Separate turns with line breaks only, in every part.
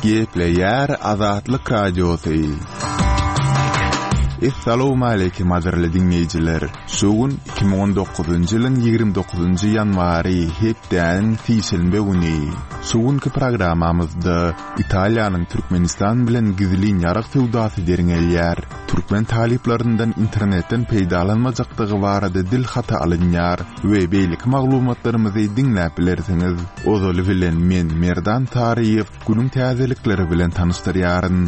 Gepleýär Azatlyk Radiosy. Essalawmaleýkim gadyrly diňleýjiler! Şu gün 2019-njy ýylyň 29-njy ýanwary, hepdäniň sişenbe güni. Şu günki programmamyzda Italiýanyň Türkmenistan bilen gizlin ýarag söwdasy derňelýär. Türkmen talyplaryndan internetden peýdalanmajakdygy barada dil haty alynýar we beýleki maglumatlarymyzy diňläp bilersiňiz. Ozaly bilen men Merdan Saryýew günüň täzelikleri bilen tanyşdyrýaryn.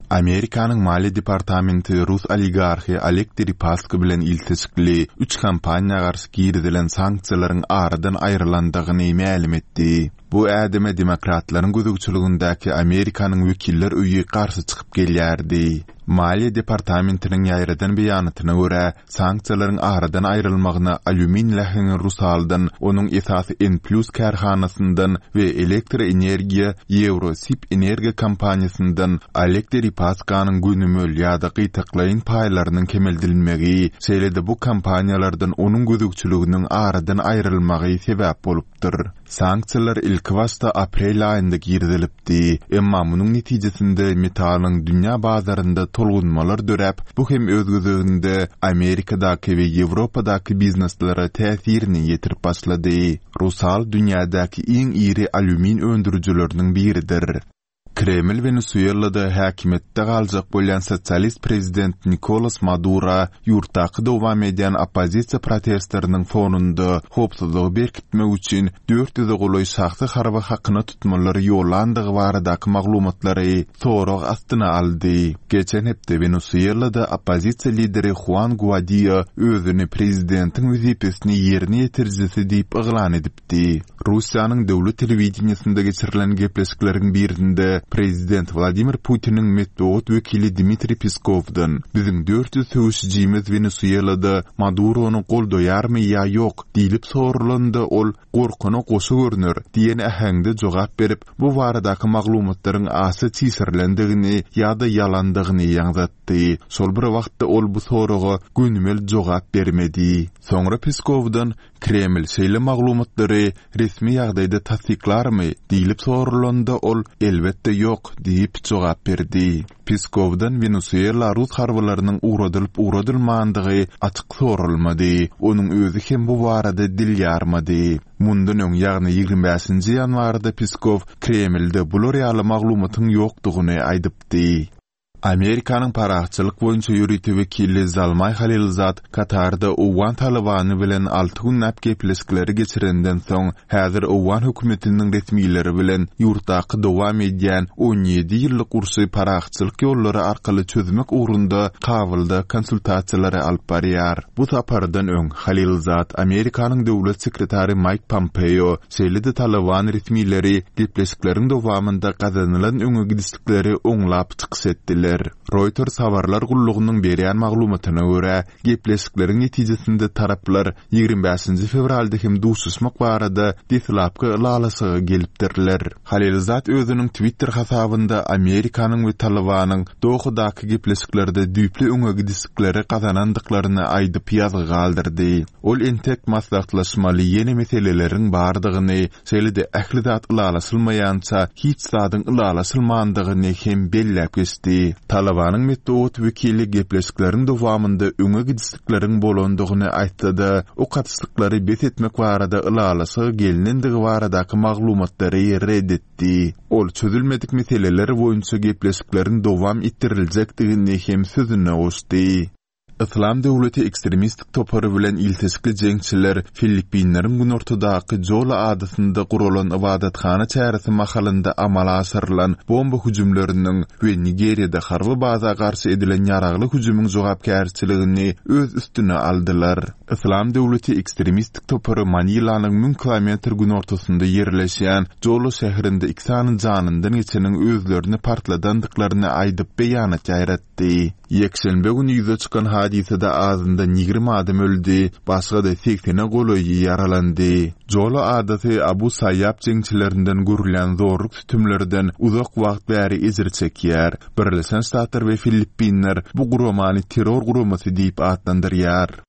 Amerikanyň Maliýe departamenti rus oligarhy Oleg Deripaska bilen ilteşikli üç kompaniýa garşy girizilen sanksiýalaryň aradan aýrylandygyny mälim etdi. Bu ädime demokratlaryň gözegçiligindäki Amerikanyň Wekiller öýi garşy çykyp gelýärdi. Maliýe departamentiniň ýaýradan beýanatyna görä, Sanksiýalaryň aradan aýrylmagyna alýumin läheňi Rusaldan, onuň esasy N-Plus kärhanasyndan we elektroenergiýa Ýewrosib energiýa kompaniýasyndan Oleg Deripaskanyň gönümel ýa-da gytaklaýyn paýlarynyň kemeldilmegi, şeýle-de bu kompaniýalardan onuň gözegçiliginiň aradan aýrylmagy sebäp bolupdyr. Sanksiýalar ilkibaşda aprel aýynda girizilipdi, emma munuň netijesinde metalyň dünýä bazarynda tolgunmalar döräp, bu hem öz gezeginde Amerikadaky we Ýewropadaky bizneslere täsirini ýetirip başlady. Rusal dünýädäki iň iri alýumin öndürijileriniň biridir. Kreml Wenesuelada häkimiýetde galjak bolýan sosialist prezident Nikolas Madura ýurtdaky dowam edýän oppozisiýa protestleriniň fonunda howpsuzlygy berkitmek üçin dört ýüze golaý şahsy harby hakyna tutmalary ýollandygy baradaky maglumatlary sorag astyna aldy. Geçen hepde Wenesuelada oppozisiýa lideri Huan Guadio özüni prezidentiň wezipesini ýerine ýetirijisi diýip yglan edipdi. etdi. Russiýanyň döwlet telewideniýesinde geçirilen gepleşikleriň birinde prezident Wladimir Putiniň metbugat wekili Dmitriý Peskowdan, Biziň 400 söweşijimiz Wenesuelada Madurony goldaýarmy ýa ýok? diýlip soralanda, ol, Gorkana goşa görner diýen äheňde jogap berip, bu baradaky maglumatlaryň aşa çişirilendigini ýa-da ýalandygyny ýaňzatdy. Şol bir wagtda ol bu soraga gönümel jogap bermedi. Soňra Peskowdan, Kreml şeýle maglumatlary resmi ýagdaýda tassyklarmy? diýlip soralanda, ol, Elbetde ýok diýip jogap berdi. Peskowdan Wenesuela rus harbylarynyň ugradylyp-ugradylmandygy açyk soralmady. Onuň özi hem bu barada dil ýarmady. Mundan öň, ýagny 25 nji ýanwarda Peskow Kremlde bular ýaly maglumatyň ýokdugyny aýdypdy. Amerikanyň parahatçylyk boýunça ýörite wekili Zalmaý Halilzad Katarda owgan Talybany bilen alty günläp gepleşikleri geçirenden soň, häzir owgan hökümetiniň resmileri bilen ýurtdaky dowam edýän 17 ýyllyk urşy parahatçylyk ýollary arkaly çözmek ugrunda Kabulda konsultasiýalary alyp barýar. Bu sapardan öň, Halilzad Amerikanyň döwlet sekretary Maýk Pompeo, şeýle-de Talyban resmileri gepleşikleriň dowamynda gazanylan öňe gidişlikleri oňlap çykyş etdiler. Reuters habarlar gullugynyň berýän maglumatyna görä, gepleşikleriň netijesinde taraplar 25-nji fewralda hem duşuşmak barada deslapky ylalaşyga gelipdirler. Halilzad özüniň Twitter hasabynda Amerikanyň we Talybanyň Dohadaky gepleşiklerde düýpli öňe gidişlikleri gazanandyklaryny aýdyp ýazgy galdyrdy. Ol entek maslahatlaşmaly ýene meseleleriň bardygyny, şeýle-de ähli zat ylalaşylmaýança hiç zadyň ylalaşylmandygyny hem belläp geçdi. Talybanyň metbugat wekili gepleşikleriň dowamynda öňe gidişlikleriň bolandygyny aýtsa-da, ok atyşlyklary bes etmek barada ylalaşyga gelnendigi baradaky maglumatlary ret etdi. Ol çözülmedik meseleler boýunça gepleşikleriň dowam etdiriljekdigini hem sözüne goşdy. Yslam döwleti ekstremistik topary bilen ilteşikli jeňçiler Filippinleriň günortadaky Jolo adasynda guralan ybadathana çäresi mahalynda amala aşyrylan bomba hüjümleriniň we Nigeriýada harby baza garşy edilen ýaragly hüjümiň jogapkärçiligini öz üstüne aldylar. Yslam döwleti ekstremistik topary Manilanyň müň kilometr günortasynda ýerleşýän Jolo şäherinde iki sany janyndan geçeniň özlerini partladandyklaryny aýdyp beýanat ýaýratdy. etdi. Ýekşenbe güni ýüze çykan hadysada azyndan 20 adam öldi, başga-da segsene golaýy ýaralandy. Jolo adasy Abu Saýýab jeňçilerinden görülýän zorluk-sütemlerden uzak wagt bäri ejir çekýär. Birleşen Ştatlar we Filippinler bu guramany terror guramasy diýip atlandyrýar.